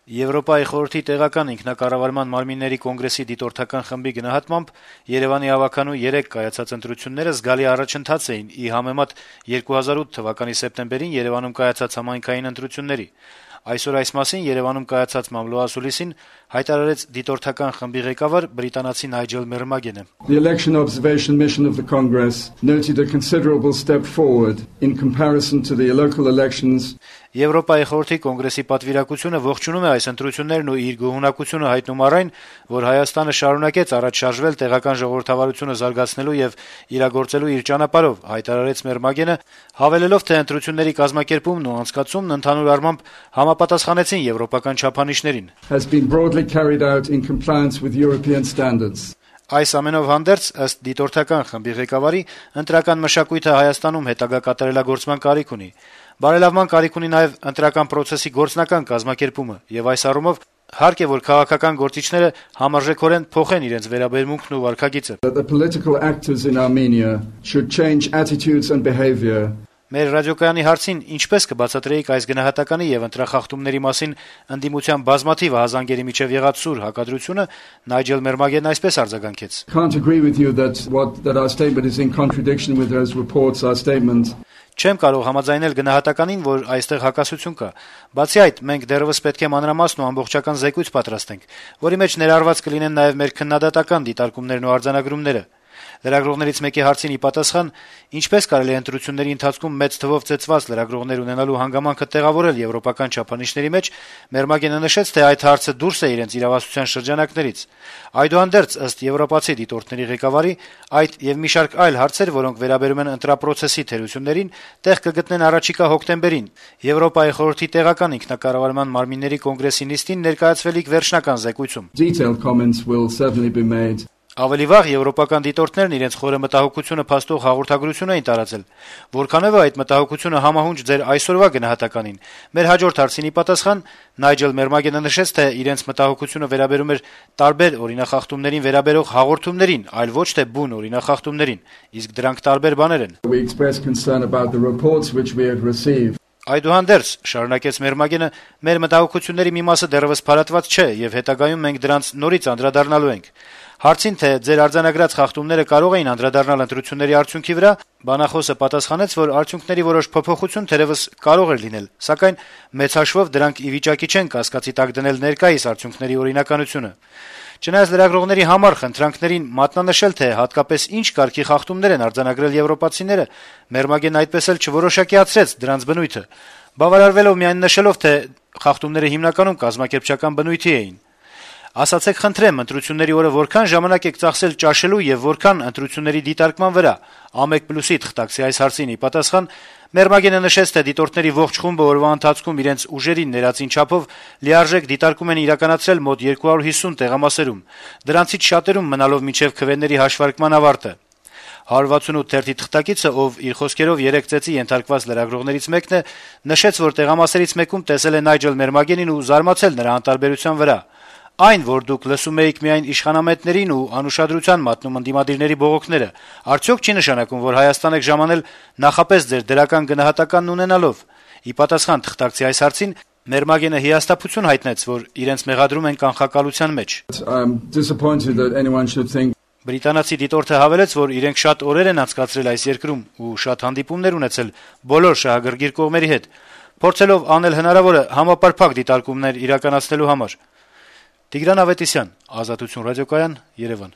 Եվրոպայի խորհրդի տեղական ինքնակառավարման մարմինների կոնգրեսի դիտորդական խմբի գնահատմամբ Երեւանի հավաքանու 3 կայացած ընտրությունները զգալի առաջընթաց էին ի համեմատ 2008 թվականի սեպտեմբերին Երեւանում կայացած համայնքային ընտրությունների։ Այսօր այս մասին Երեւանում կայացած մամլոասուլիսին հայտարարեց դիտորդական խմբի ղեկավար բրիտանացի Նայջել Մերմագենը։ The election observation mission of the Congress noted a considerable step forward in comparison to the local elections. Եվրոպայի խորհրդի կոնգրեսի պատվիրակությունը ողջունում է այս ընտրություններն ու իր գոհունակությունը հայտնում առ այն, որ Հայաստանը շարունակեց առաջ շարժվել տեղական ժողովրդավարությունը զարգացնելու եւ իրագործելու իր ճանապարհով, հայտարարեց Մերմագենը, հավելելով, թե ընտրությունների կազմակերպումն ու անցկացումն ընդհանուր առմամբ համապատասխանեցին եվրոպական չափանիշներին։ Has been broadly carried out in compliance with European standards. Այս ամենով հանդերձ, ըստ դիտորդական խմբի ղեկավարի, ընտրական մշակույթը Հայաստանում հետագա կատարելագործման կարիք ունի։ Բարելավման կարիք ունի նաև ընտրական process-ի գործնական կազմակերպումը, եւ այս առումով հարկ է, որ քաղաքական գործիչները համարժեքորեն փոխեն իրենց վերաբերմունքն ու վարքագիծը։ The political actors in Armenia should change attitudes and behavior. Մեր ռադիոկայանի հարցին ինչպես կբացատրեիք այս գնահատականի եւ ընտրախախտումների մասին ընդդիմության բազմաթիվ հազանգերի միջև եղած սուր հակադրությունը, Նայջել Մերմագենն այսպես արձագանքեց. Can't agree with you that our statement is in contradiction with those reports, our statement. Չեմ կարող համաձայնել գնահատականին, որ այստեղ հակասություն կա։ Բացի այդ, մենք դեռևս պետք է մանրամասն ու ամբողջական զեկույց պատրաստենք, որի մեջ ներառված կլինեն նաև մեր քննադատական դիտարկումներն ու արձանագրումները։ Լրագրողներից մեկի հարցին ի պատասխան, ինչպես կարելի է ընտրությունների ընթացքում մեծ թվով ծեծված լրագրողներ ունենալու հանգամանքը տեղավորել եվրոպական չափանիշների մեջ, Մերմագենը նշեց, թե այդ հարցը դուրս է իրենց իրավասության շրջանակներից։ Այդուհանդերձ, ըստ եվրոպացի դիտորդների ղեկավարի, այդ եւ մի շարք այլ հարցեր, որոնք վերաբերում են ընտրապրոցեսի թերություններին, տեղ կգտնեն առաջիկա հոկտեմբերին Եվրոպայի խորհրդի տեղական ինքնակառավարման մարմինների կոնգրեսի նիստին ներկայացվելիք վերջնական զեկույցում։ Detailed comments will certainly be made. Ավելի վաղ եվրոպական դիտորդներն իրենց խորը մտահոգությունը փաստող հաղորդագրություն էին տարածել, որքանով է այդ մտահոգությունը համահունչ ձեր այսօրվա գնահատականին։ Մեր հաջորդ հարցին ի պատասխան Նայջել Մերմագենը նշեց, թե իրենց մտահոգությունը վերաբերում էր տարբեր օրինախախտումներին վերաբերող հաղորդումներին, այլ ոչ թե բուն օրինախախտումներին, իսկ դրանք տարբեր բաներ են։ We express concern about the reports which we have received. Այդուհանդերձ, շարունակեց Մերմագենը, մեր մտահոգությունների մի մասը դեռևս փարատված չէ եւ հետագայում մենք դրանց նորից անդրադառնալու ենք։ Հարցին, թե ձեր արձանագրած խախտումները կարող էին անդրադառնալ ընտրությունների արդյունքի վրա, բանախոսը պատասխանեց, որ արդյունքների որոշ փոփոխություն թերևս կարող էր լինել, սակայն մեծ հաշվով դրանք ի վիճակի չեն կասկածի տակ դնել ներկայիս արդյունքների օրինականությունը։ Չնայած լրագրողների համար խնդրանքներին մատնանշել, թե հատկապես ինչ կարգի խախտումներ են արձանագրել եվրոպացիները, Մերմագենն այդպես էլ չորոշակիացրեց դրանց բնույթը, բավարարվելով միայն նշելով, թե խախտումները հիմնականում կազմակերպչական բնույթի էին։ Ասացեք խնդրեմ, ընտրությունների օրը որքան ժամանակ եք ծախսել ճաշելու եւ որքան ընտրությունների դիտարկման վրա։ A1+-ի թղթակցի այս հարցին ի պատասխան Մերմագենը նշեց, թե դիտորդների ողջ խումբը օրվա ընթացքում իրենց ուժերին ներածին չափով լիարժեք դիտարկում են իրականացրել մոտ 250 տեղամասերում, դրանցից շատերում մնալով մինչև քվեների հաշվարկման ավարտը։ 168 թերթի թղթակիցը, ով իր խոսքերով 3 ծեծի ենթարկված լրագրողներից մեկն է, նշեց, որ տեղամասերից մեկում տեսել է Նայջել Մերմագենին ու զարմացել նրա անտարբերության վրա։ Այն, որ դուք լսում էիք միայն իշխանամետներին ու անուշադրության մատնում ընդդիմադիրների բողոքները, արդյոք չի նշանակում, որ Հայաստան եք ժամանել նախապես ձեր դրական գնահատականն ունենալով։ Ի պատասխան թղթակցի այս հարցին Մերմագենը հիասթափություն հայտնեց, որ իրենց մեղադրում են կանխակալության մեջ։ Բրիտանացի դիտորդը հավելեց, որ իրենք շատ օրեր են անցկացրել այս երկրում ու շատ հանդիպումներ ունեցել բոլոր շահագրգիռ կողմերի հետ, փորձելով անել հնարավորը համապարփակ դիտարկումներ իրականացնելու համար։ Տիգրան Ավետիսյան, Ազատություն ռադիոկայան, Երևան։